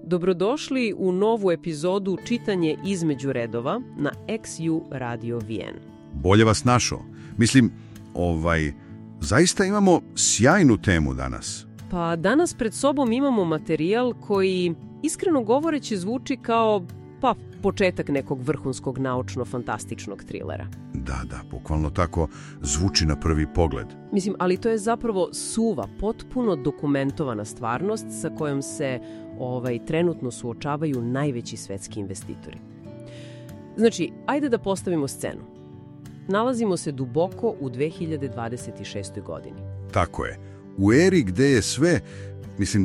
Dobrodošli u novu epizodu Čitanje između redova na XU Radio VN. Bolje vas našao. Mislim, zaista imamo sjajnu temu danas. Pa danas pred sobom imamo materijal koji, iskreno govoreći, zvuči kao početak nekog vrhunskog naučno-fantastičnog trilera. Da, bukvalno tako zvuči na prvi pogled. Mislim, ali to je zapravo suva, potpuno dokumentovana stvarnost sa kojom se trenutno suočavaju najveći svetski investitori. Znači, ajde da postavimo scenu. Nalazimo se duboko u 2026. godini. Tako je. U eri gde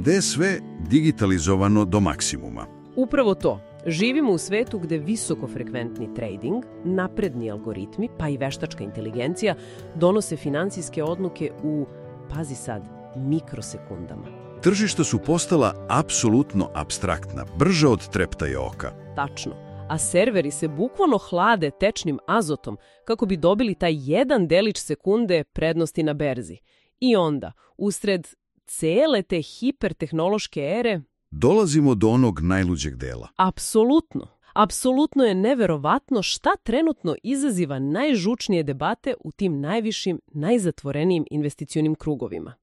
je sve digitalizovano do maksimuma. Upravo to. Živimo u svetu gde visokofrekventni trading, napredni algoritmi, pa i veštačka inteligencija donose finansijske odluke u, pazi sad, mikrosekundama. Tržišta su postala apsolutno apstraktna, brža od treptaja oka. Tačno. A serveri se bukvalno hlade tečnim azotom kako bi dobili taj jedan delić sekunde prednosti na berzi. I onda, usred cele te hipertehnološke ere, dolazimo do onog najluđeg dela. Apsolutno. Apsolutno je neverovatno šta trenutno izaziva najžučnije debate u tim najvišim, najzatvorenijim investicionim krugovima.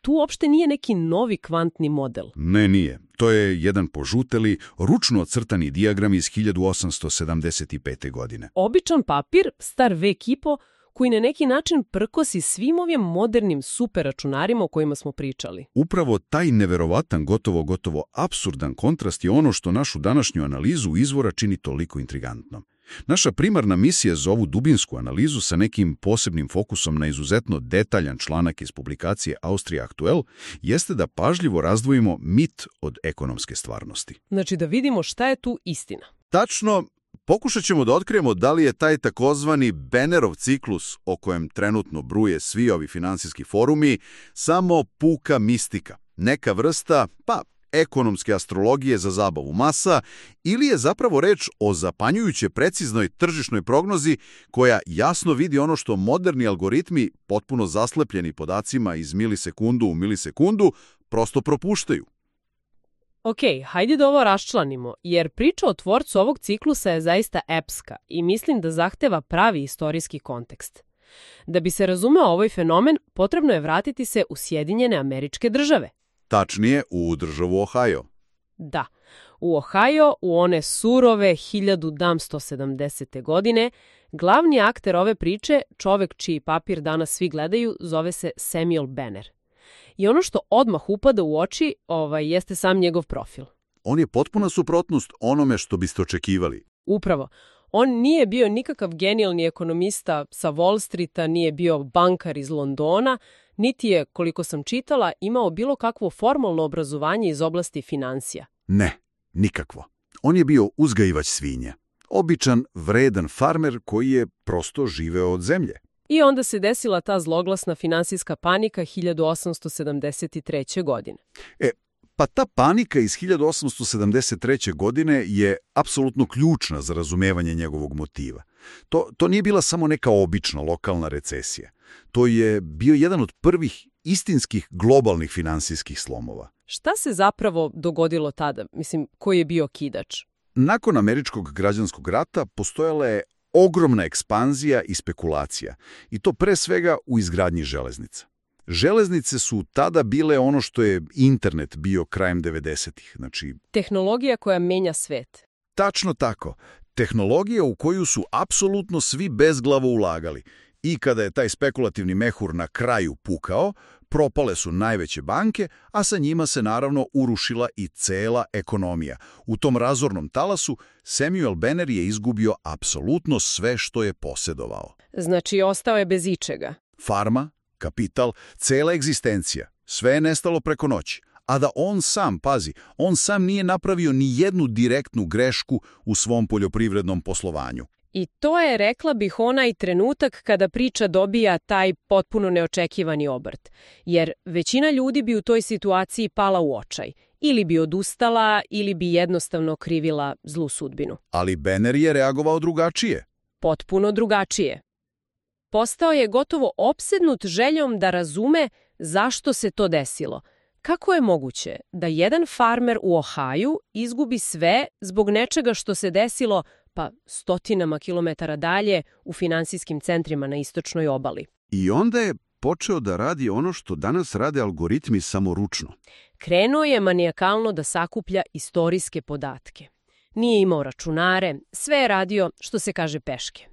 Tu uopšte nije neki novi kvantni model. Ne, nije. To je jedan požuteli, ručno ocrtani dijagram iz 1875. godine. Običan papir, star vek i po, koji na neki način prkosi svim ovim modernim superračunarima o kojima smo pričali. Upravo taj neverovatan, gotovo apsurdan kontrast je ono što našu današnju analizu izvora čini toliko intrigantnom. Naša primarna misija za ovu dubinsku analizu sa nekim posebnim fokusom na izuzetno detaljan članak iz publikacije Austrija Aktuel jeste da pažljivo razdvojimo mit od ekonomske stvarnosti. Znači da vidimo šta je tu istina. Tačno, pokušat ćemo da otkrijemo da li je taj takozvani Bennerov ciklus o kojem trenutno bruje svi ovi finansijski forumi samo puka mistika, neka vrsta, ekonomske astrologije za zabavu masa, ili je zapravo reč o zapanjujuće preciznoj tržišnoj prognozi koja jasno vidi ono što moderni algoritmi, potpuno zaslepljeni podacima iz milisekundu u milisekundu, prosto propuštaju. Ok, hajde da ovo raščlanimo, jer priča o tvorcu ovog ciklusa je zaista epska i mislim da zahteva pravi istorijski kontekst. Da bi se razumeo ovaj fenomen, potrebno je vratiti se u Sjedinjene Američke Države. Tačnije, u državu Ohio. Da, u Ohio, u one surove 1970. godine, glavni akter ove priče, čovek čiji papir danas svi gledaju, zove se Samuel Benner. I ono što odmah upada u oči, jeste sam njegov profil. On je potpuna suprotnost onome što biste očekivali. Upravo. On nije bio nikakav genijalni ekonomista sa Wall Streeta, nije bio bankar iz Londona, niti je, koliko sam čitala, imao bilo kakvo formalno obrazovanje iz oblasti financija. Ne, nikakvo. On je bio uzgajivač svinja. Običan, vredan farmer koji je prosto živeo od zemlje. I onda se desila ta zloglasna finansijska panika 1873. godine. Pa ta panika iz 1873. godine je apsolutno ključna za razumevanje njegovog motiva. To nije bila samo neka obična lokalna recesija. To je bio jedan od prvih istinskih globalnih finansijskih slomova. Šta se zapravo dogodilo tada? Mislim, koji je bio kidač? Nakon Američkog građanskog rata postojala je ogromna ekspanzija i spekulacija. I to pre svega u izgradnji železnica. Železnice su tada bile ono što je internet bio krajem 90-ih. Znači, tehnologija koja menja svet. Tačno tako. Tehnologija u koju su apsolutno svi bezglavo ulagali. I kada je taj spekulativni mehur na kraju pukao, propale su najveće banke, a sa njima se naravno urušila i cela ekonomija. U tom razornom talasu Samuel Benner je izgubio apsolutno sve što je posedovao. Znači, ostao je bez ičega. Farma, kapital, cela egzistencija. Sve je nestalo preko noći. A da on sam nije napravio ni jednu direktnu grešku u svom poljoprivrednom poslovanju. I to je, rekla bih, onaj trenutak kada priča dobija taj potpuno neočekivani obrt. Jer većina ljudi bi u toj situaciji pala u očaj. Ili bi odustala, ili bi jednostavno krivila zlu sudbinu. Ali Benner je reagovao drugačije. Potpuno drugačije. Postao je gotovo opsednut željom da razume zašto se to desilo. Kako je moguće da jedan farmer u Ohaju izgubi sve zbog nečega što se desilo pa stotinama kilometara dalje u finansijskim centrima na istočnoj obali? I onda je počeo da radi ono što danas rade algoritmi samoručno. Krenuo je manijakalno da sakuplja istorijske podatke. Nije imao računare, sve je radio, što se kaže, peške.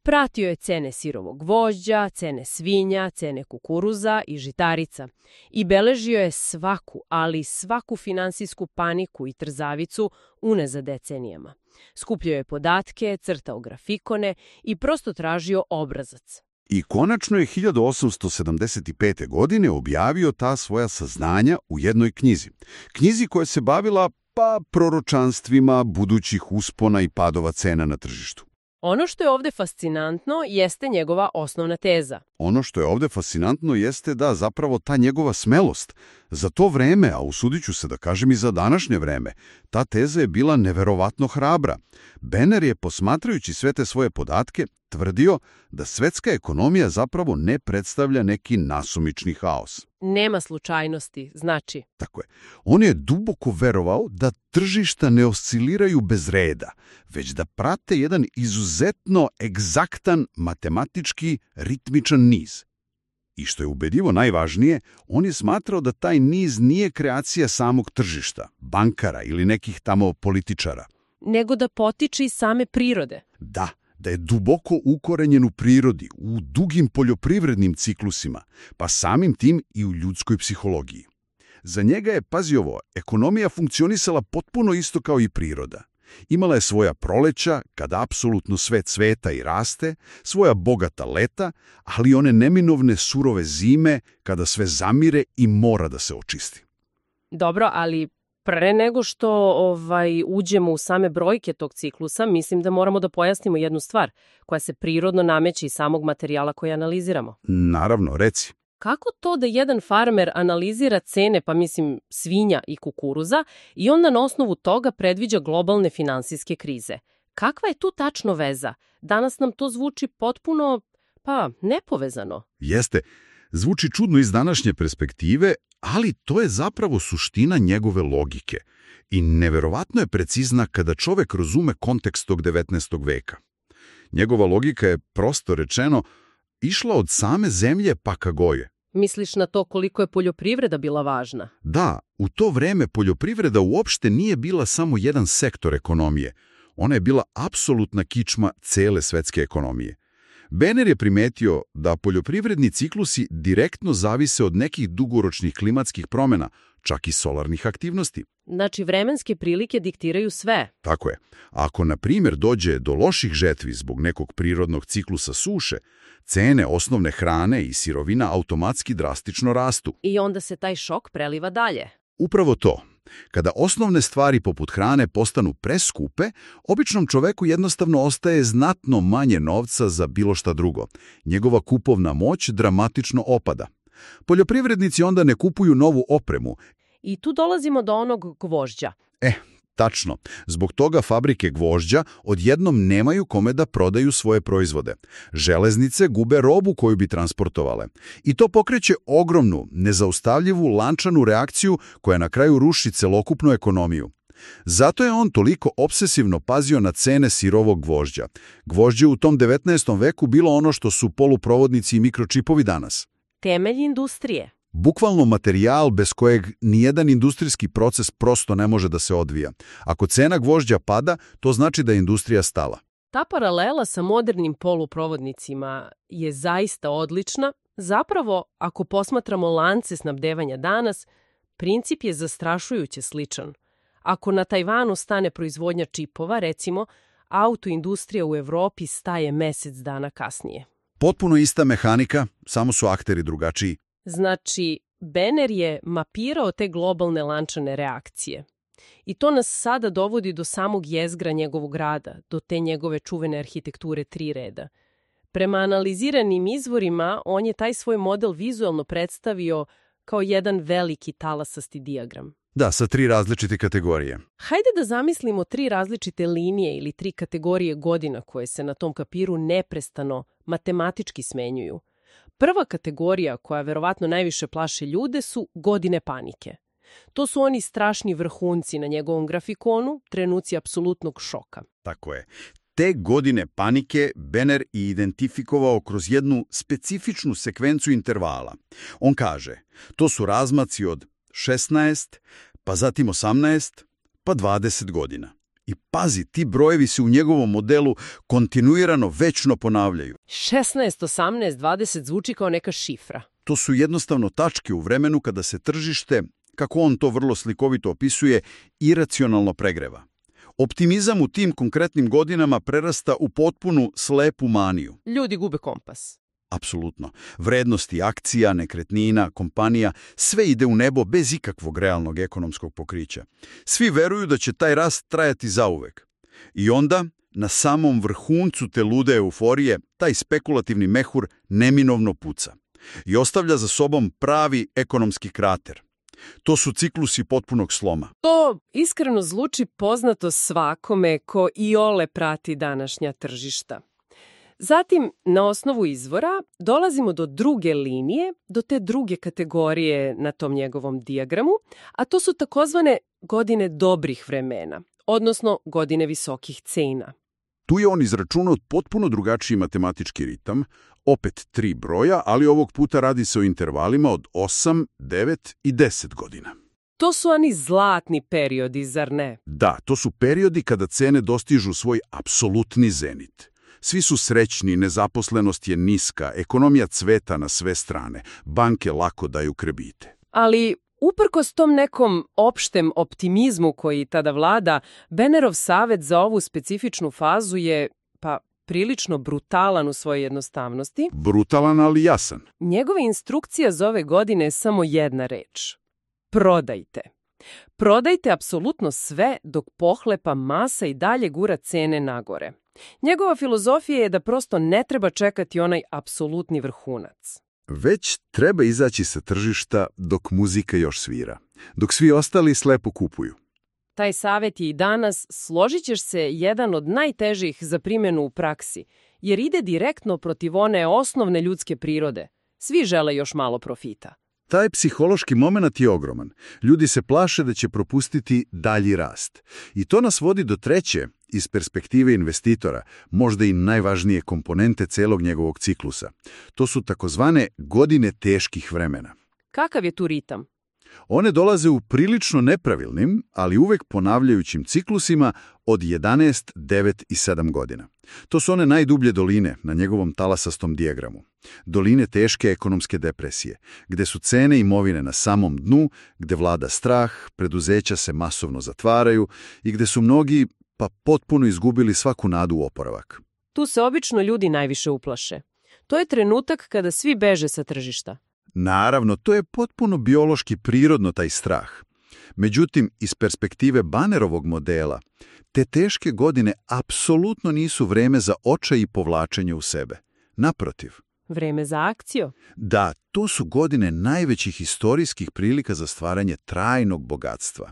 Pratio je cene sirovog gvožđa, cene svinja, cene kukuruza i žitarica i beležio je svaku, ali svaku finansijsku paniku i trzavicu unazad decenijama. Skupljao je podatke, crtao grafikone i prosto tražio obrazac. I konačno je 1875. godine objavio ta svoja saznanja u jednoj knjizi. Knjizi koja se bavila proročanstvima budućih uspona i padova cena na tržištu. Ono što je ovdje fascinantno jeste njegova osnovna teza. Ono što je ovdje fascinantno jeste da zapravo ta njegova smelost za to vreme, a usudit ću se da kažem i za današnje vreme, ta teza je bila neverovatno hrabra. Benner je, posmatrajući sve te svoje podatke, tvrdio da svetska ekonomija zapravo ne predstavlja neki nasumični haos. Nema slučajnosti, znači. Tako je. On je duboko verovao da tržišta ne osciliraju bez reda, već da prate jedan izuzetno egzaktan matematički ritmičan niz. I što je ubedljivo najvažnije, on je smatrao da taj niz nije kreacija samog tržišta, bankara ili nekih tamo političara. Nego da potiče iz same prirode. Da je duboko ukorenjen u prirodi, u dugim poljoprivrednim ciklusima, pa samim tim i u ljudskoj psihologiji. Za njega je, pazi ovo, ekonomija funkcionisala potpuno isto kao i priroda. Imala je svoja proleća, kada apsolutno sve cveta i raste, svoja bogata leta, ali one neminovne surove zime, kada sve zamire i mora da se očisti. Dobro, ali pre nego što uđemo u same brojke tog ciklusa, mislim da moramo da pojasnimo jednu stvar koja se prirodno nameće iz samog materijala koji analiziramo. Naravno, reci. Kako to da jedan farmer analizira cene, svinja i kukuruza i onda na osnovu toga predviđa globalne finansijske krize? Kakva je tu tačno veza? Danas nam to zvuči potpuno, nepovezano. Jeste. Zvuči čudno iz današnje perspektive, ali to je zapravo suština njegove logike. I neverovatno je precizna kada čovek razume kontekst tog 19. veka. Njegova logika je, prosto rečeno, išla od same zemlje pa ka goje. Misliš na to koliko je poljoprivreda bila važna? Da, u to vreme poljoprivreda uopšte nije bila samo jedan sektor ekonomije. Ona je bila apsolutna kičma cele svetske ekonomije. Benner je primetio da poljoprivredni ciklusi direktno zavise od nekih dugoročnih klimatskih promjena, čak i solarnih aktivnosti. Znači, vremenske prilike diktiraju sve. Tako je. Ako, na primjer, dođe do loših žetvi zbog nekog prirodnog ciklusa suše, cene osnovne hrane i sirovina automatski drastično rastu. I onda se taj šok preliva dalje. Upravo to. Kada osnovne stvari poput hrane postanu preskupe, običnom čoveku jednostavno ostaje znatno manje novca za bilo šta drugo. Njegova kupovna moć dramatično opada. Poljoprivrednici onda ne kupuju novu opremu. I tu dolazimo do onog gvožđa. Tačno. Zbog toga fabrike gvožđa odjednom nemaju kome da prodaju svoje proizvode. Železnice gube robu koju bi transportovale. I to pokreće ogromnu, nezaustavljivu lančanu reakciju koja na kraju ruši celokupnu ekonomiju. Zato je on toliko obsesivno pazio na cene sirovog gvožđa. Gvožđe u tom 19. veku bilo ono što su poluprovodnici i mikročipovi danas. Temelj industrije. Bukvalno materijal bez kojeg nijedan industrijski proces prosto ne može da se odvija. Ako cena gvožđa pada, to znači da je industrija stala. Ta paralela sa modernim poluprovodnicima je zaista odlična. Zapravo, ako posmatramo lance snabdevanja danas, princip je zastrašujuće sličan. Ako na Tajvanu stane proizvodnja čipova, recimo, autoindustrija u Evropi staje mesec dana kasnije. Potpuno ista mehanika, samo su akteri drugačiji. Znači, Benner je mapirao te globalne lančane reakcije. I to nas sada dovodi do samog jezgra njegovog rada, do te njegove čuvene arhitekture 3 reda. Prema analiziranim izvorima, on je taj svoj model vizualno predstavio kao jedan veliki talasasti dijagram. Da, sa 3 različite kategorije. Hajde da zamislimo 3 različite linije ili 3 kategorije godina koje se na tom kapiru neprestano matematički smenjuju. Prva kategorija koja verovatno najviše plaši ljude su godine panike. To su oni strašni vrhunci na njegovom grafikonu, trenuci apsolutnog šoka. Tako je. Te godine panike Benner i identifikovao kroz jednu specifičnu sekvencu intervala. On kaže, to su razmaci od 16, pa zatim 18, pa 20 godina. I pazi, ti brojevi se u njegovom modelu kontinuirano večno ponavljaju. 16, 18, 20 zvuči kao neka šifra. To su jednostavno tačke u vremenu kada se tržište, kako on to vrlo slikovito opisuje, iracionalno pregreva. Optimizam u tim konkretnim godinama prerasta u potpunu slepu maniju. Ljudi gube kompas. Apsolutno. Vrednosti akcija, nekretnina, kompanija, sve ide u nebo bez ikakvog realnog ekonomskog pokrića. Svi veruju da će taj rast trajati zauvek. I onda, na samom vrhuncu te lude euforije, taj spekulativni mehur neminovno puca i ostavlja za sobom pravi ekonomski krater. To su ciklusi potpunog sloma. To iskreno zvuči poznato svakome ko iole prati današnja tržišta. Zatim, na osnovu izvora, dolazimo do druge linije, do te druge kategorije na tom njegovom dijagramu, a to su takozvane godine dobrih vremena, odnosno godine visokih cena. Tu je on izračunao potpuno drugačiji matematički ritam, opet 3 broja, ali ovog puta radi se o intervalima od 8, 9 i 10 godina. To su oni zlatni periodi, zar ne? Da, to su periodi kada cene dostižu svoj apsolutni zenit. Svi su srećni, nezaposlenost je niska, ekonomija cveta na sve strane, banke lako daju kredite. Ali uprkos tom nekom opštem optimizmu koji tada vlada, Bennerov savjet za ovu specifičnu fazu je, prilično brutalan u svojoj jednostavnosti. Brutalan, ali jasan. Njegova instrukcija za ove godine je samo jedna reč. Prodajte. Prodajte apsolutno sve dok pohlepa masa i dalje gura cene nagore. Njegova filozofija je da prosto ne treba čekati onaj apsolutni vrhunac. Već treba izaći sa tržišta dok muzika još svira, dok svi ostali slepo kupuju. Taj savjet je i danas, složit ćeš se, jedan od najtežih za primjenu u praksi, jer ide direktno protiv one osnovne ljudske prirode. Svi žele još malo profita. Taj psihološki moment je ogroman. Ljudi se plaše da će propustiti dalji rast. I to nas vodi do treće, iz perspektive investitora, možda i najvažnije komponente celog njegovog ciklusa. To su takozvane godine teških vremena. Kakav je tu ritam? One dolaze u prilično nepravilnim, ali uvek ponavljajućim ciklusima od 11, 9 i 7 godina. To su one najdublje doline na njegovom talasastom dijagramu. Doline teške ekonomske depresije, gde su cene imovine na samom dnu, gde vlada strah, preduzeća se masovno zatvaraju i gde su mnogi potpuno izgubili svaku nadu u oporavak. Tu se obično ljudi najviše uplaše. To je trenutak kada svi beže sa tržišta. Naravno, to je potpuno biološki prirodno taj strah. Međutim, iz perspektive Bennerovog modela, te teške godine apsolutno nisu vreme za očaj i povlačenje u sebe. Naprotiv. Vreme za akciju? Da, to su godine najvećih historijskih prilika za stvaranje trajnog bogatstva.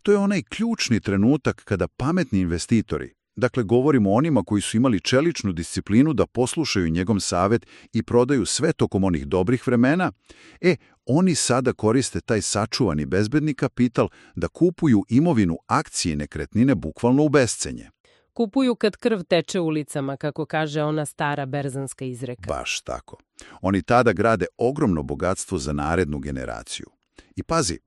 To je onaj ključni trenutak kada pametni investitori, dakle govorimo o onima koji su imali čeličnu disciplinu da poslušaju njegov savjet i prodaju sve tokom onih dobrih vremena, oni sada koriste taj sačuvani bezbedni kapital da kupuju imovinu, akcije i nekretnine bukvalno u bescenje. Kupuju kad krv teče ulicama, kako kaže ona stara berzanska izreka. Baš tako. Oni tada grade ogromno bogatstvo za narednu generaciju. I pazi,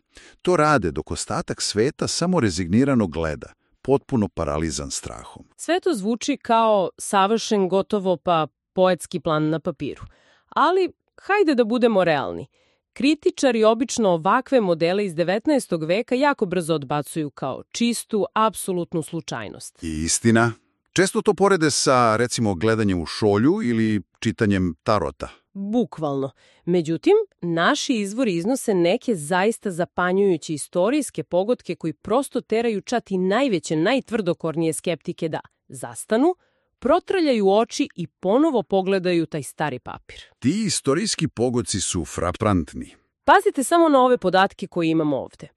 to rade dok ostatak sveta samo rezignirano gleda, potpuno paralizan strahom. Sve to zvuči kao savršen, gotovo poetski plan na papiru. Ali, hajde da budemo realni. Kritičari obično ovakve modele iz 19. veka jako brzo odbacuju kao čistu, apsolutnu slučajnost. I istina. Često to porede sa, recimo, gledanjem u šolju ili čitanjem tarota. Bukvalno. Međutim, naši izvori iznose neke zaista zapanjujuće istorijske pogodke koji prosto teraju čak i najveće, najtvrdokornije skeptike da zastanu, protrljaju oči i ponovo pogledaju taj stari papir. Ti istorijski pogodci su fraprantni. Pazite samo na ove podatke koje imamo ovde.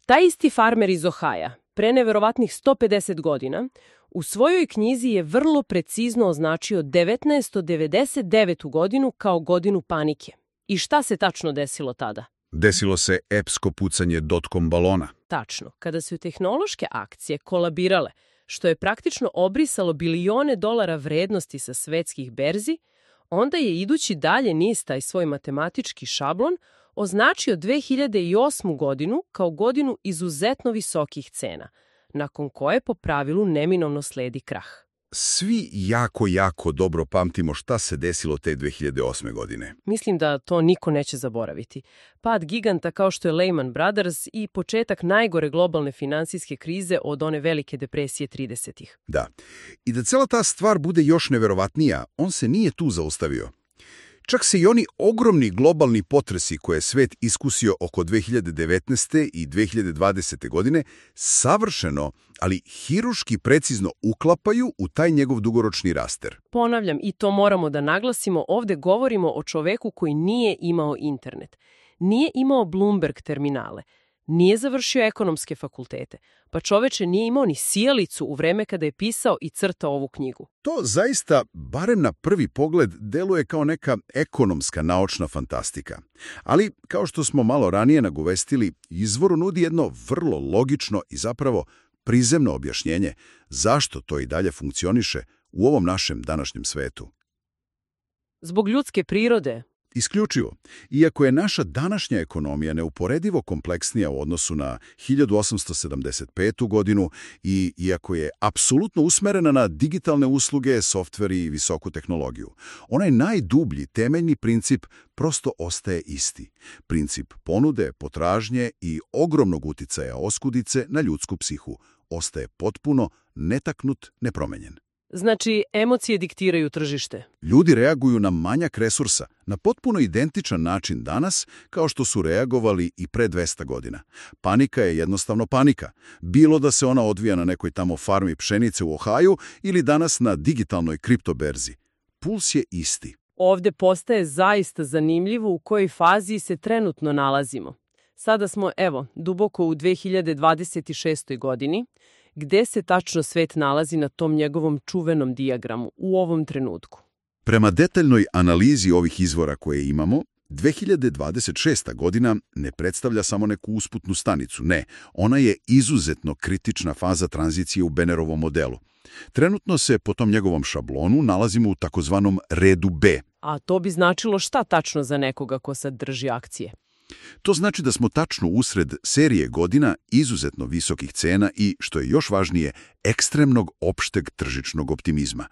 Taj isti farmer iz Ohaja, pre neverovatnih 150 godina, u svojoj knjizi je vrlo precizno označio 1999. godinu kao godinu panike. I šta se tačno desilo tada? Desilo se epsko pucanje dotcom balona. Tačno, kada su tehnološke akcije kolabirale, što je praktično obrisalo bilione dolara vrednosti sa svetskih berzi, onda je idući dalje niz taj svoj matematički šablon označio 2008. godinu kao godinu izuzetno visokih cena, nakon koje po pravilu neminovno sledi krah. Svi jako dobro pamtimo šta se desilo te 2008. godine. Mislim da to niko neće zaboraviti. Pad giganta kao što je Lehman Brothers i početak najgore globalne finansijske krize od one velike depresije 30-ih. Da. I da cela ta stvar bude još neverovatnija, on se nije tu zaustavio. Čak se i oni ogromni globalni potresi koje je svet iskusio oko 2019. i 2020. godine savršeno, ali hiruški precizno uklapaju u taj njegov dugoročni raster. Ponavljam, i to moramo da naglasimo, ovde govorimo o čoveku koji nije imao internet, nije imao Bloomberg terminale, nije završio ekonomske fakultete, pa čoveče nije imao ni sijalicu u vreme kada je pisao i crtao ovu knjigu. To zaista, barem na prvi pogled, deluje kao neka ekonomska naučna fantastika. Ali, kao što smo malo ranije nagovestili, izvoru nudi jedno vrlo logično i zapravo prizemno objašnjenje zašto to i dalje funkcioniše u ovom našem današnjem svetu. Zbog ljudske prirode. Isključivo. Iako je naša današnja ekonomija neuporedivo kompleksnija u odnosu na 1875. godinu i iako je apsolutno usmerena na digitalne usluge, softver i visoku tehnologiju, onaj najdublji temeljni princip prosto ostaje isti. Princip ponude, potražnje i ogromnog uticaja oskudice na ljudsku psihu ostaje potpuno netaknut, nepromenjen. Znači, emocije diktiraju tržište. Ljudi reaguju na manjak resursa na potpuno identičan način danas kao što su reagovali i pre 200 godina. Panika je jednostavno panika. Bilo da se ona odvija na nekoj tamo farmi pšenice u Ohaju ili danas na digitalnoj kriptoberzi. Puls je isti. Ovde postaje zaista zanimljivo u kojoj fazi se trenutno nalazimo. Sada smo, duboko u 2026. godini, gde se tačno svet nalazi na tom njegovom čuvenom dijagramu u ovom trenutku. Prema detaljnoj analizi ovih izvora koje imamo, 2026. godina ne predstavlja samo neku usputnu stanicu. Ne, ona je izuzetno kritična faza tranzicije u Bannerovom modelu. Trenutno se po tom njegovom šablonu nalazimo u takozvanom redu B. A to bi značilo šta tačno za nekoga ko sad drži akcije? To znači da smo tačno usred serije godina izuzetno visokih cena i, što je još važnije, ekstremnog opšteg tržišnog optimizma.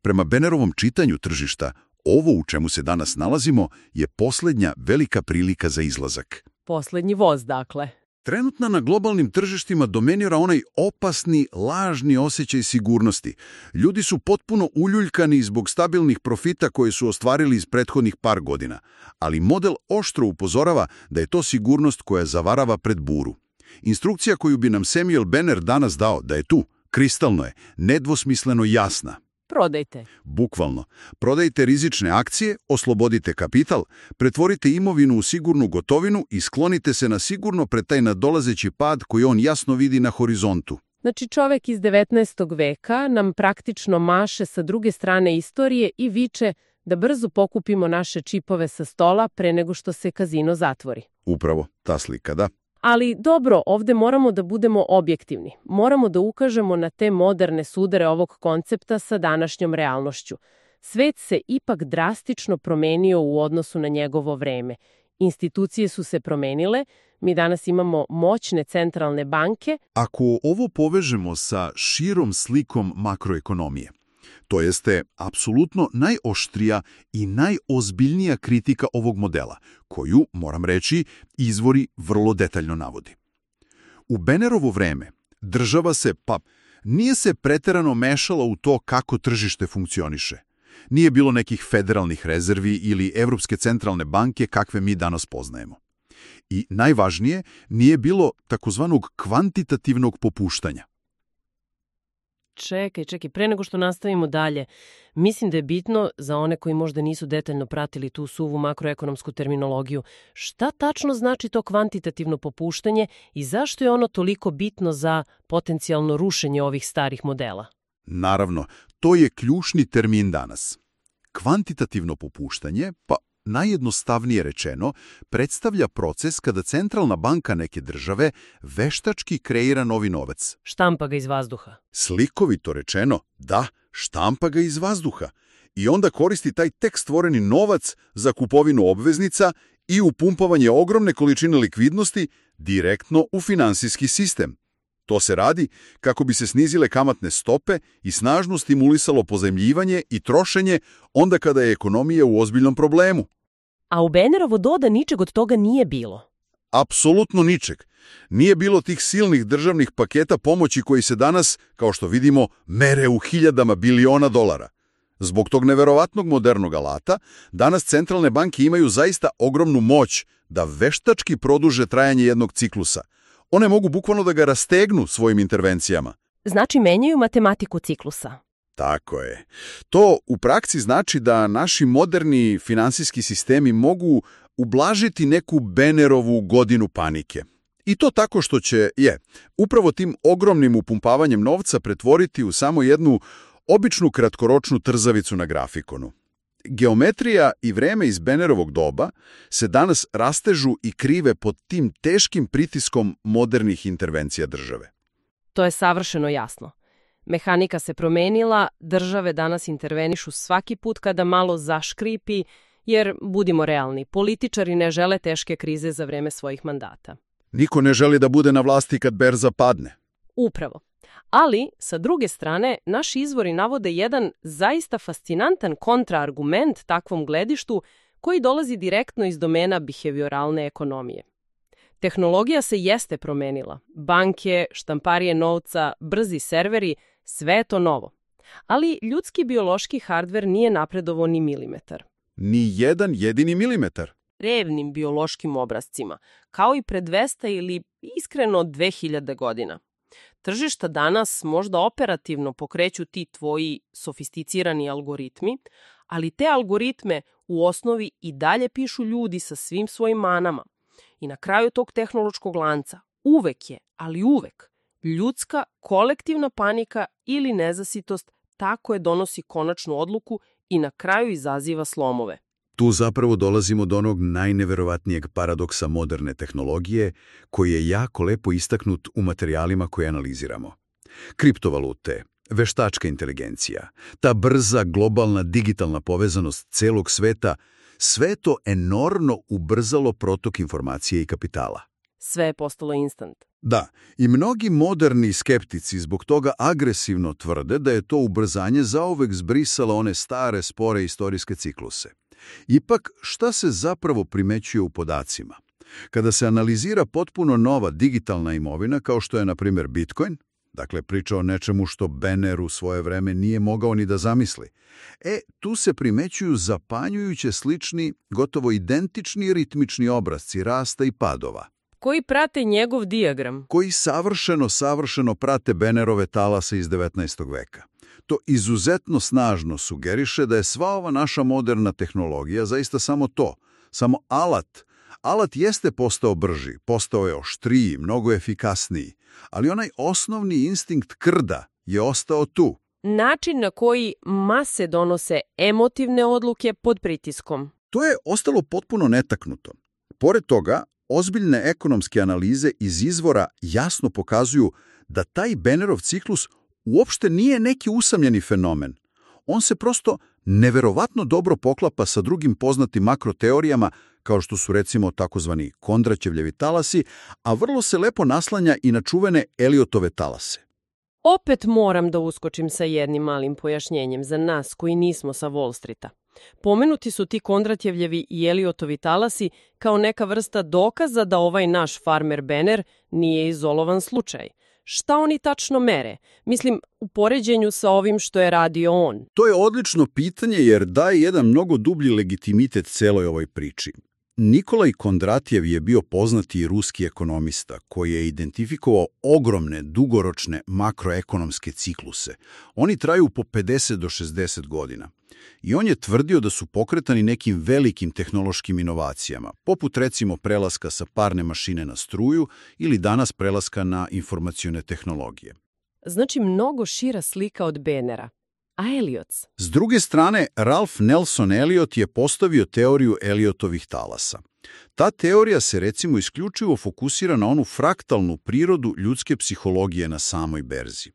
Prema Bannerovom čitanju tržišta, ovo u čemu se danas nalazimo je posljednja velika prilika za izlazak. Poslednji voz, dakle. Trenutno na globalnim tržištima dominira onaj opasni, lažni osjećaj sigurnosti. Ljudi su potpuno uljuljkani zbog stabilnih profita koje su ostvarili iz prethodnih par godina, ali model oštro upozorava da je to sigurnost koja zavarava pred buru. Instrukcija koju bi nam Samuel Banner danas dao da je tu, kristalno je, nedvosmisleno jasna. Prodajte. Bukvalno. Prodajte rizične akcije, oslobodite kapital, pretvorite imovinu u sigurnu gotovinu i sklonite se na sigurno pred taj nadolazeći pad koji on jasno vidi na horizontu. Znači, čovek iz 19. veka nam praktično maše sa druge strane istorije i viče da brzo pokupimo naše čipove sa stola pre nego što se kazino zatvori. Upravo, ta slika, da. Ali dobro, ovde moramo da budemo objektivni. Moramo da ukažemo na te moderne sudare ovog koncepta sa današnjom realnošću. Svet se ipak drastično promenio u odnosu na njegovo vreme. Institucije su se promenile, mi danas imamo moćne centralne banke. Ako ovo povežemo sa širom slikom makroekonomije, to jeste apsolutno najoštrija i najozbiljnija kritika ovog modela, koju, moram reći, izvori vrlo detaljno navodi. U Bannerovo vreme država se, nije se preterano mešala u to kako tržište funkcioniše. Nije bilo nekih federalnih rezervi ili Evropske centralne banke kakve mi danas poznajemo. I najvažnije, nije bilo takozvanog kvantitativnog popuštanja. Čekaj, pre nego što nastavimo dalje, mislim da je bitno za one koji možda nisu detaljno pratili tu suvu makroekonomsku terminologiju, šta tačno znači to kvantitativno popuštanje i zašto je ono toliko bitno za potencijalno rušenje ovih starih modela? Naravno, to je ključni termin danas. Kvantitativno popuštanje, pa najjednostavnije rečeno, predstavlja proces kada centralna banka neke države veštački kreira novi novac. Štampa ga iz vazduha. Slikovito rečeno, da, štampa ga iz vazduha. I onda koristi taj tek stvoreni novac za kupovinu obveznica i upumpavanje ogromne količine likvidnosti direktno u finansijski sistem. To se radi kako bi se snizile kamatne stope i snažno stimulisalo pozajmljivanje i trošenje onda kada je ekonomija u ozbiljnom problemu. A u Bannerovo doba ničeg od toga nije bilo. Apsolutno ničeg. Nije bilo tih silnih državnih paketa pomoći koji se danas, kao što vidimo, mere u hiljadama biliona dolara. Zbog tog neverovatnog modernog alata, danas centralne banke imaju zaista ogromnu moć da veštački produže trajanje jednog ciklusa. One mogu bukvalno da ga rastegnu svojim intervencijama. Znači menjaju matematiku ciklusa. Tako je. To u praksi znači da naši moderni finansijski sistemi mogu ublažiti neku Bannerovu godinu panike. I to tako što će, upravo tim ogromnim upumpavanjem novca pretvoriti u samo jednu običnu kratkoročnu trzavicu na grafikonu. Geometrija i vreme iz Bannerovog doba se danas rastežu i krive pod tim teškim pritiskom modernih intervencija države. To je savršeno jasno. Mehanika se promenila, države danas intervenišu svaki put kada malo zaškripi, jer, budimo realni, političari ne žele teške krize za vreme svojih mandata. Niko ne želi da bude na vlasti kad berza padne. Upravo. Ali, sa druge strane, naši izvori navode jedan zaista fascinantan kontraargument takvom gledištu koji dolazi direktno iz domena behavioralne ekonomije. Tehnologija se jeste promenila. Banke, štamparije novca, brzi serveri, sve je to novo. Ali ljudski biološki hardver nije napredovao ni milimetar. Ni jedan jedini milimetar. Revnim biološkim obrazcima, kao i pre 200 ili iskreno 2000 godina. Tržišta danas možda operativno pokreću ti tvoji sofisticirani algoritmi, ali te algoritme u osnovi i dalje pišu ljudi sa svim svojim manama. I na kraju tog tehnološkog lanca uvek je, ali uvek, ljudska kolektivna panika ili nezasitost tako je donosi konačnu odluku i na kraju izaziva slomove. Tu zapravo dolazimo do onog najneverovatnijeg paradoksa moderne tehnologije, koji je jako lepo istaknut u materijalima koje analiziramo. Kriptovalute, veštačka inteligencija, ta brza globalna digitalna povezanost celog sveta, sve to enormno ubrzalo protok informacije i kapitala. Sve je postalo instant. Da, i mnogi moderni skeptici zbog toga agresivno tvrde da je to ubrzanje zauvek zbrisalo one stare, spore istorijske cikluse. Ipak, šta se zapravo primećuje u podacima? Kada se analizira potpuno nova digitalna imovina, kao što je, na primjer, Bitcoin, dakle priča o nečemu što Banner u svoje vreme nije mogao ni da zamisli, tu se primećuju zapanjujuće slični, gotovo identični ritmični obrazci rasta i padova. Koji prate njegov dijagram. Koji savršeno prate Bannerove talase iz 19. veka. To izuzetno snažno sugeriše da je sva ova naša moderna tehnologija zaista samo to, samo alat. Alat jeste postao brži, postao je oštriji, mnogo efikasniji, ali onaj osnovni instinkt krda je ostao tu. Način na koji mase donose emotivne odluke pod pritiskom. To je ostalo potpuno netaknuto. Pored toga, ozbiljne ekonomske analize iz izvora jasno pokazuju da taj Bannerov ciklus uopšte nije neki usamljeni fenomen. On se prosto neverovatno dobro poklapa sa drugim poznatim makroteorijama, kao što su recimo takozvani Kondraćevljevi talasi, a vrlo se lepo naslanja i na čuvene Eliotove talase. Opet moram da uskočim sa jednim malim pojašnjenjem za nas koji nismo sa Wall Streeta. Pomenuti su ti Kondratjevljevi i Eliotovi talasi kao neka vrsta dokaza da ovaj naš farmer Banner nije izolovan slučaj. Šta oni tačno mere? Mislim, u poređenju sa ovim što je radio on. To je odlično pitanje jer daje jedan mnogo dublji legitimitet celoj ovoj priči. Nikolaj Kondratjev je bio poznati ruski ekonomista koji je identifikovao ogromne, dugoročne makroekonomske cikluse. Oni traju po 50 do 60 godina. I on je tvrdio da su pokretani nekim velikim tehnološkim inovacijama, poput recimo prelaska sa parne mašine na struju ili danas prelaska na informacione tehnologije. Znači mnogo šira slika od Benera. A Elliots? S druge strane, Ralph Nelson Elliot je postavio teoriju Elliotovih talasa. Ta teorija se recimo isključivo fokusira na onu fraktalnu prirodu ljudske psihologije na samoj berzi,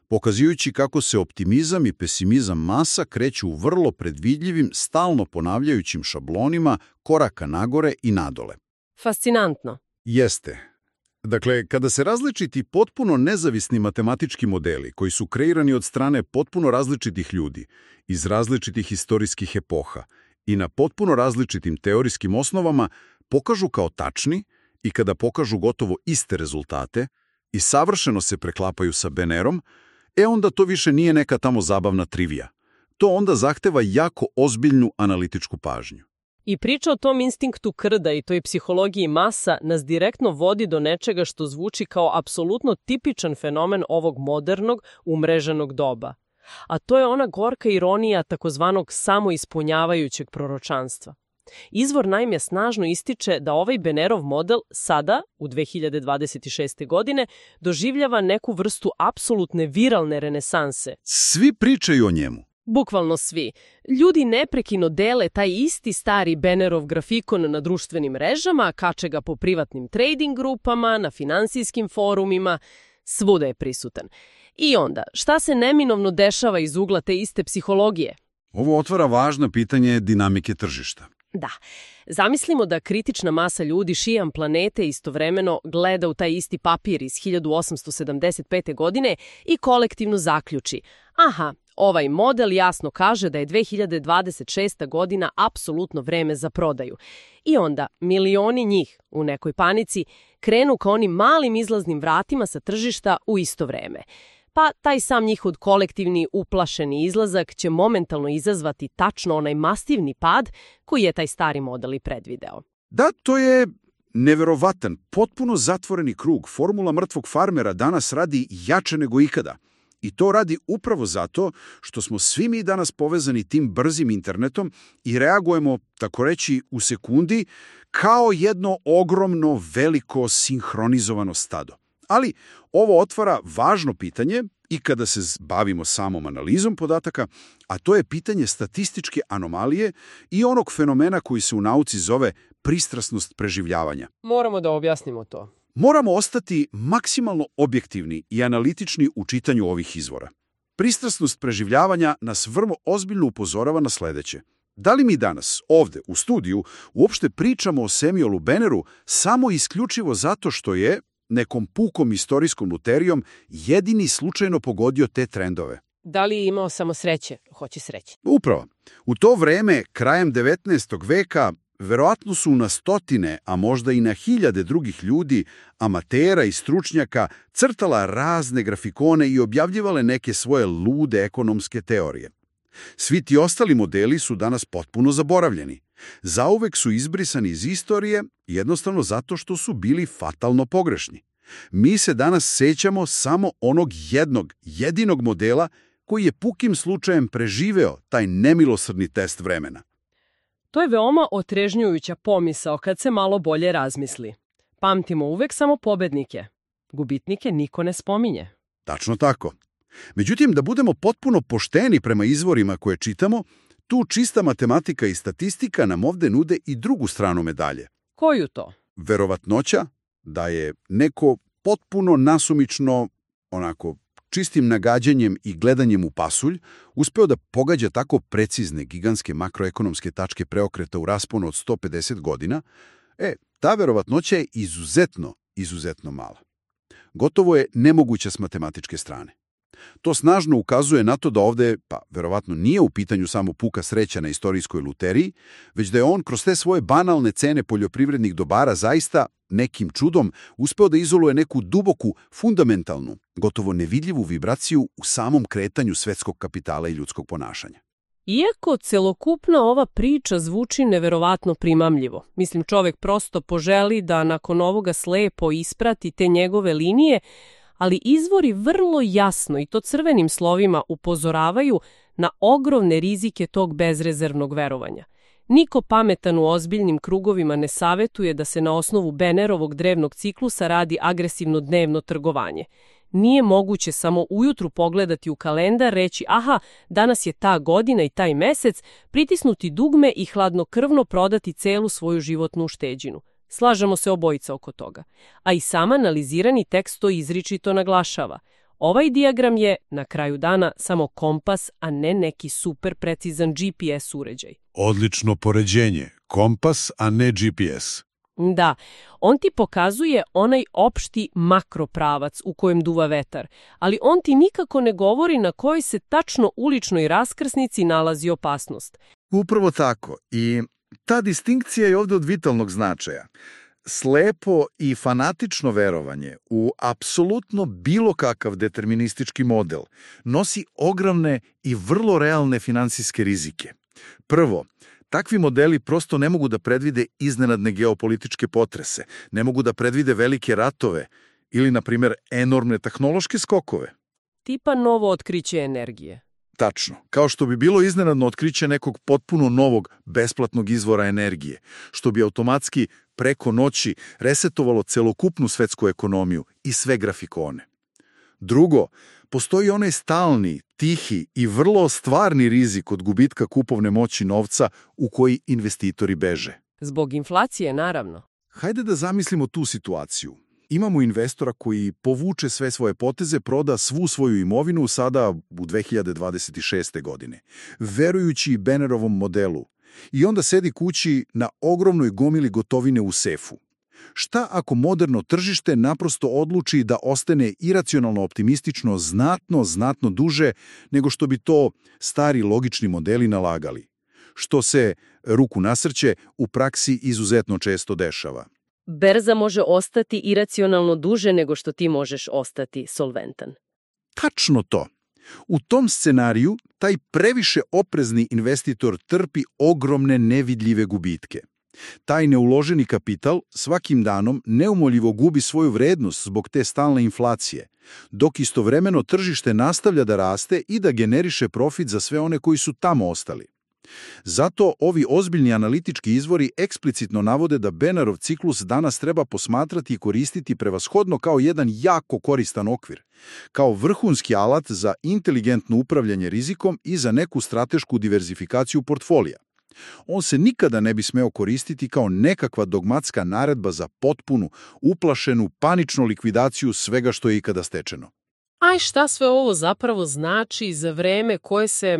pokazujući kako se optimizam i pesimizam masa kreću u vrlo predvidljivim, stalno ponavljajućim šablonima koraka nagore i nadole. Fascinantno. Jeste. Dakle, kada se različiti potpuno nezavisni matematički modeli koji su kreirani od strane potpuno različitih ljudi, iz različitih historijskih epoha i na potpuno različitim teorijskim osnovama pokažu kao tačni i kada pokažu gotovo iste rezultate i savršeno se preklapaju sa Benerom, onda to više nije neka tamo zabavna trivija. To onda zahteva jako ozbiljnu analitičku pažnju. I priča o tom instinktu krda i toj psihologiji masa nas direktno vodi do nečega što zvuči kao apsolutno tipičan fenomen ovog modernog, umreženog doba. A to je ona gorka ironija takozvanog samoispunjavajućeg proročanstva. Izvor naime snažno ističe da ovaj Benerov model sada, u 2026. godine, doživljava neku vrstu apsolutne viralne renesanse. Svi pričaju o njemu. Bukvalno svi. Ljudi neprekino dele taj isti stari Benerov grafikon na društvenim mrežama, kače ga po privatnim trading grupama, na finansijskim forumima, svuda je prisutan. I onda, šta se neminovno dešava iz ugla te iste psihologije? Ovo otvara važno pitanje dinamike tržišta. Da. Zamislimo da kritična masa ljudi šiljam planete istovremeno gleda u taj isti papir iz 1875. godine i kolektivno zaključi: aha, ovaj model jasno kaže da je 2026. godina apsolutno vreme za prodaju. I onda milioni njih u nekoj panici krenu ka onim malim izlaznim vratima sa tržišta u isto vreme. Pa taj sam njihov kolektivni uplašeni izlazak će momentalno izazvati tačno onaj masivni pad koji je taj stari model i predvideo. Da, to je neverovatan, potpuno zatvoreni krug. Formula mrtvog farmera danas radi jače nego ikada. I to radi upravo zato što smo svi mi danas povezani tim brzim internetom i reagujemo, tako reći, u sekundi kao jedno ogromno, veliko, sinhronizovano stado. Ali ovo otvara važno pitanje i kada se bavimo samom analizom podataka, a to je pitanje statističke anomalije i onog fenomena koji se u nauci zove pristrasnost preživljavanja. Moramo da objasnimo to. Moramo ostati maksimalno objektivni i analitični u čitanju ovih izvora. Pristrasnost preživljavanja nas vrlo ozbiljno upozorava na sledeće. Da li mi danas, ovde, u studiju, uopšte pričamo o Samuelu Beneru samo isključivo zato što je nekom pukom istorijskom luterijom jedini slučajno pogodio te trendove? Da li je imao samo sreće? Hoće sreće. Upravo. U to vreme, krajem 19. veka, verovatno su na stotine, a možda i na hiljade drugih ljudi, amatera i stručnjaka, crtala razne grafikone i objavljivale neke svoje lude ekonomske teorije. Svi ti ostali modeli su danas potpuno zaboravljeni. Zauvek su izbrisani iz istorije, jednostavno zato što su bili fatalno pogrešni. Mi se danas sećamo samo onog jedinog modela koji je pukim slučajem preživeo taj nemilosrdni test vremena. To je veoma otrežnjujuća pomisao kad se malo bolje razmisli. Pamtimo uvek samo pobednike. Gubitnike niko ne spominje. Tačno tako. Međutim, da budemo potpuno pošteni prema izvorima koje čitamo, tu čista matematika i statistika nam ovde nude i drugu stranu medalje. Koju to? Verovatnoća da je neko potpuno nasumično, onako, čistim nagađanjem i gledanjem u pasulj, uspeo da pogađa tako precizne gigantske makroekonomske tačke preokreta u rasponu od 150 godina, ta verovatnoća je izuzetno mala. Gotovo je nemoguća s matematičke strane. To snažno ukazuje na to da ovde, verovatno nije u pitanju samo puka sreća na istorijskoj luteriji, već da je on kroz te svoje banalne cene poljoprivrednih dobara zaista nekim čudom uspeo da izoluje neku duboku, fundamentalnu, gotovo nevidljivu vibraciju u samom kretanju svetskog kapitala i ljudskog ponašanja. Iako celokupna ova priča zvuči neverovatno primamljivo, mislim čovek prosto poželi da nakon ovoga slepo isprati te njegove linije, ali izvori vrlo jasno i to crvenim slovima upozoravaju na ogromne rizike tog bezrezervnog verovanja. Niko pametan u ozbiljnim krugovima ne savetuje da se na osnovu Bennerovog drevnog ciklusa radi agresivno dnevno trgovanje. Nije moguće samo ujutru pogledati u kalendar, reći aha, danas je ta godina i taj mesec, pritisnuti dugme i hladnokrvno prodati celu svoju životnu ušteđinu. Slažemo se obojica oko toga. A i sam analizirani tekst to izričito naglašava. Ovaj dijagram je, na kraju dana, samo kompas, a ne neki super precizan GPS uređaj. Odlično poređenje. Kompas, a ne GPS. Da, on ti pokazuje onaj opšti makropravac u kojem duva vetar, ali on ti nikako ne govori na kojoj se tačno uličnoj raskrsnici nalazi opasnost. Upravo tako. I ta distinkcija je ovdje od vitalnog značaja. Slepo i fanatično verovanje u apsolutno bilo kakav deterministički model nosi ogromne i vrlo realne finansijske rizike. Prvo, takvi modeli prosto ne mogu da predvide iznenadne geopolitičke potrese, ne mogu da predvide velike ratove ili, na primjer, enormne tehnološke skokove. Tipa novo otkriće energije. Tačno, kao što bi bilo iznenadno otkriće nekog potpuno novog, besplatnog izvora energije, što bi automatski preko noći resetovalo celokupnu svetsku ekonomiju i sve grafikone. Drugo, postoji onaj stalni, tihi i vrlo stvarni rizik od gubitka kupovne moći novca u koji investitori beže. Zbog inflacije, naravno. Hajde da zamislimo tu situaciju. Imamo investora koji povuče sve svoje poteze, proda svu svoju imovinu sada u 2026. godine, verujući Bennerovom modelu, i onda sedi kući na ogromnoj gomili gotovine u sefu. Šta ako moderno tržište naprosto odluči da ostane iracionalno optimistično znatno duže nego što bi to stari logični modeli nalagali? Što se, ruku na srce, u praksi izuzetno često dešava. Berza može ostati iracionalno duže nego što ti možeš ostati solventan. Tačno to. U tom scenariju taj previše oprezni investitor trpi ogromne nevidljive gubitke. Taj neuloženi kapital svakim danom neumoljivo gubi svoju vrednost zbog te stalne inflacije, dok istovremeno tržište nastavlja da raste i da generiše profit za sve one koji su tamo ostali. Zato ovi ozbiljni analitički izvori eksplicitno navode da Bennerov ciklus danas treba posmatrati i koristiti prevashodno kao jedan jako koristan okvir, kao vrhunski alat za inteligentno upravljanje rizikom i za neku stratešku diverzifikaciju portfolija. On se nikada ne bi smeo koristiti kao nekakva dogmatska naredba za potpunu, uplašenu, paničnu likvidaciju svega što je ikada stečeno. A šta sve ovo zapravo znači za vreme koje se,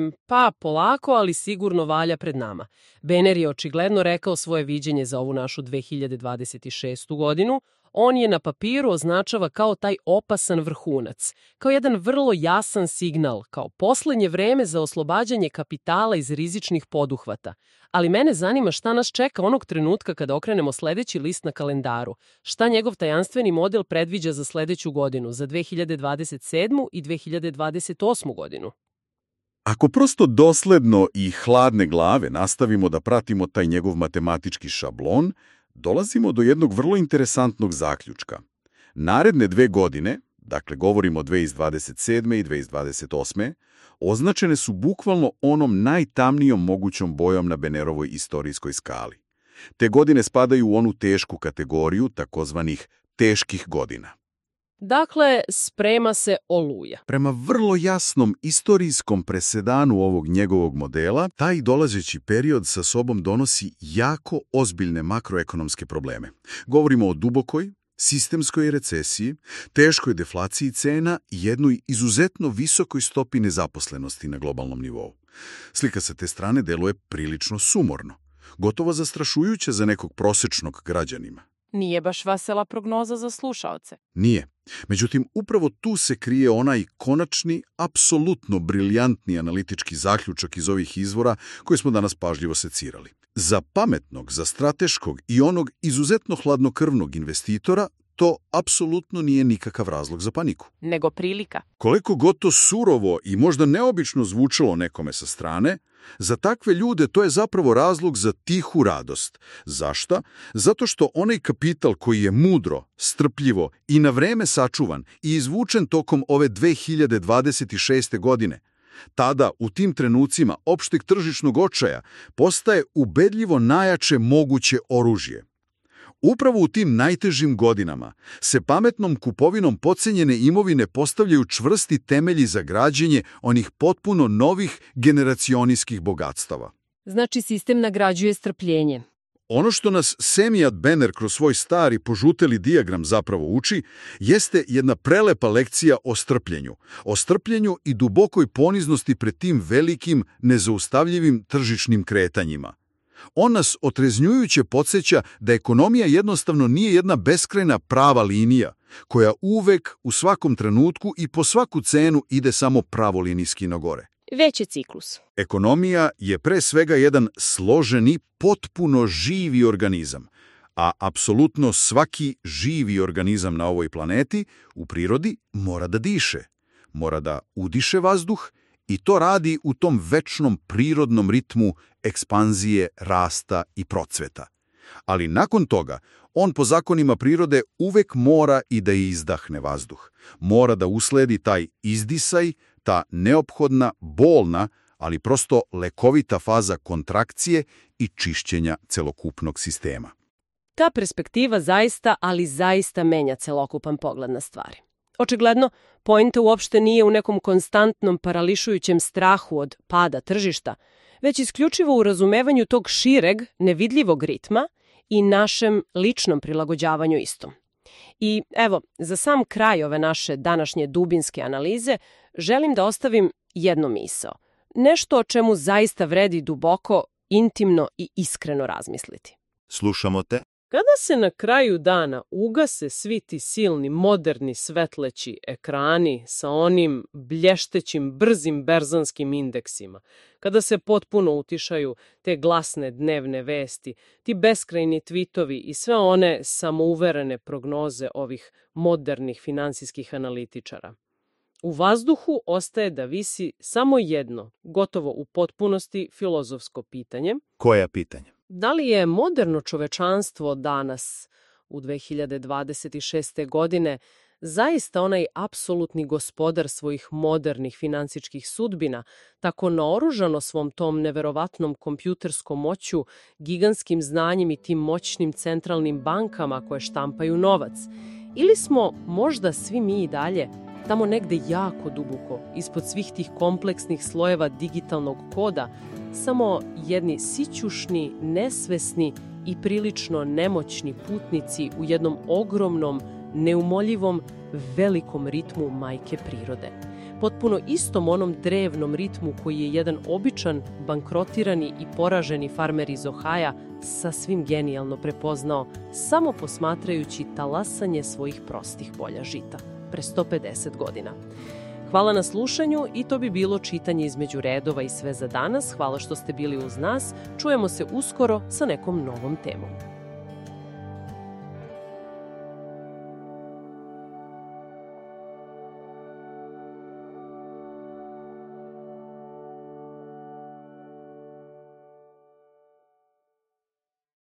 polako, ali sigurno valja pred nama? Benner je očigledno rekao svoje viđenje za ovu našu 2026. godinu. On je na papiru označava kao taj opasan vrhunac, kao jedan vrlo jasan signal, kao poslednje vreme za oslobađanje kapitala iz rizičnih poduhvata. Ali mene zanima šta nas čeka onog trenutka kada okrenemo sledeći list na kalendaru. Šta njegov tajanstveni model predviđa za sledeću godinu, za 2027. i 2028. godinu? Ako prosto dosledno i hladne glave nastavimo da pratimo taj njegov matematički šablon, dolazimo do jednog vrlo interesantnog zaključka. Naredne 2 godine, dakle govorimo o 2027. i 2028. označene su bukvalno onom najtamnijom mogućom bojom na Bennerovoj istorijskoj skali. Te godine spadaju u onu tešku kategoriju takozvanih teških godina. Dakle, sprema se oluja. Prema vrlo jasnom istorijskom presedanu ovog njegovog modela, taj dolazeći period sa sobom donosi jako ozbiljne makroekonomske probleme. Govorimo o dubokoj, sistemskoj recesiji, teškoj deflaciji cena i jednoj izuzetno visokoj stopi nezaposlenosti na globalnom nivou. Slika sa te strane deluje prilično sumorno, gotovo zastrašujuće za nekog prosečnog građanima. Nije baš vesela prognoza za slušaoce. Nije. Međutim, upravo tu se krije onaj konačni, apsolutno briljantni analitički zaključak iz ovih izvora koje smo danas pažljivo secirali. Za pametnog, za strateškog i onog izuzetno hladnokrvnog investitora to apsolutno nije nikakav razlog za paniku. Nego prilika. Koliko god to surovo i možda neobično zvučalo nekome sa strane, Za takve ljude to je zapravo razlog za tihu radost. Zašto? Zato što onaj kapital koji je mudro, strpljivo i na vreme sačuvan i izvučen tokom ove 2026. godine, tada, u tim trenucima opšteg tržišnog očaja, postaje ubedljivo najjače moguće oružje. Upravo u tim najtežim godinama se pametnom kupovinom potcenjene imovine postavljaju čvrsti temelji za građenje onih potpuno novih generacionijskih bogatstava. Znači, sistem nagrađuje strpljenje. Ono što nas Semijat Benner kroz svoj stari požuteli dijagram zapravo uči, jeste jedna prelepa lekcija o strpljenju i dubokoj poniznosti pred tim velikim, nezaustavljivim tržišnim kretanjima. On nas otreznjujuće podsjeća da ekonomija jednostavno nije jedna beskrajna prava linija, koja uvek, u svakom trenutku i po svaku cenu ide samo pravolinijski na gore. Već je ciklus. Ekonomija je pre svega jedan složeni, potpuno živi organizam, a apsolutno svaki živi organizam na ovoj planeti u prirodi mora da diše, mora da udiše vazduh i to radi u tom večnom prirodnom ritmu ekspanzije, rasta i procveta. Ali nakon toga, on po zakonima prirode uvek mora i da izdahne vazduh. Mora da usledi taj izdisaj, ta neophodna, bolna, ali prosto lekovita faza kontrakcije i čišćenja celokupnog sistema. Ta perspektiva zaista, ali zaista menja celokupan pogled na stvari. Očigledno, poenta uopšte nije u nekom konstantnom parališujućem strahu od pada tržišta, već isključivo u razumevanju tog šireg, nevidljivog ritma i našem ličnom prilagođavanju istom. I evo, za sam kraj ove naše današnje dubinske analize, želim da ostavim jednu misao. Nešto o čemu zaista vredi duboko, intimno i iskreno razmisliti. Slušamo te. Kada se na kraju dana ugase svi ti silni, moderni, svetleći ekrani sa onim blještećim, brzim berzanskim indeksima, kada se potpuno utišaju te glasne dnevne vesti, ti beskrajni tvitovi i sve one samouverene prognoze ovih modernih finansijskih analitičara, u vazduhu ostaje da visi samo jedno, gotovo u potpunosti filozofsko pitanje. Koje pitanje? Da li je moderno čovečanstvo danas, u 2026. godine, zaista onaj apsolutni gospodar svojih modernih finansijskih sudbina, tako naoružano svom tom neverovatnom kompjuterskom moću, gigantskim znanjem i tim moćnim centralnim bankama koje štampaju novac? Ili smo možda svi mi i dalje tamo negde jako duboko, ispod svih tih kompleksnih slojeva digitalnog koda, samo jedni sićušni, nesvesni i prilično nemoćni putnici u jednom ogromnom, neumoljivom, velikom ritmu majke prirode. Potpuno istom onom drevnom ritmu koji je jedan običan, bankrotirani i poraženi farmer iz Ohaja sasvim genijalno prepoznao, samo posmatrajući talasanje svojih prostih polja žita pre 150 godina. Hvala na slušanju i to bi bilo čitanje između redova i sve za danas. Hvala što ste bili uz nas. Čujemo se uskoro sa nekom novom temom.